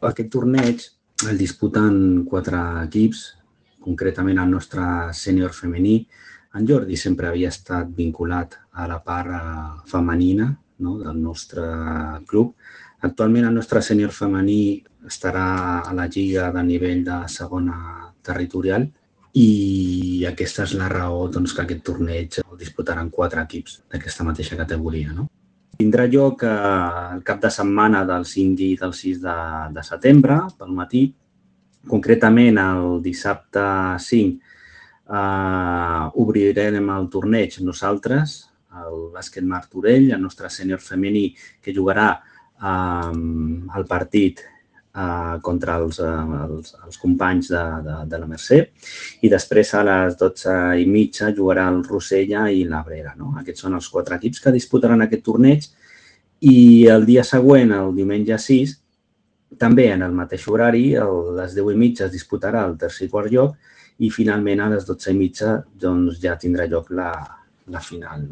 Aquest torneig el disputen 4 equips, concretament el nostre sènior femení. En Jordi sempre havia estat vinculat a la part femenina, no?, del nostre club. Actualment el nostre sènior femení estarà a la lliga de nivell de segona territorial i aquesta és la raó doncs, que aquest torneig el disputaran 4 equips d'aquesta mateixa categoria, no? Tindrà lloc el cap de setmana del 5 i del 6 de setembre, pel matí. Concretament, el dissabte 5 obrirem el torneig nosaltres, el bàsquet Martorell, el nostre sènior femení, que jugarà el partit contra els companys de la Mercè, i després a les 12:30 jugarà el Rossella i l'Abrera. Aquests són els 4 equips que disputaran aquest torneig i el dia següent, el diumenge 6, també en el mateix horari, a les 10:30 es disputarà el tercer i quart lloc i finalment a les 12:30 ja tindrà lloc la final.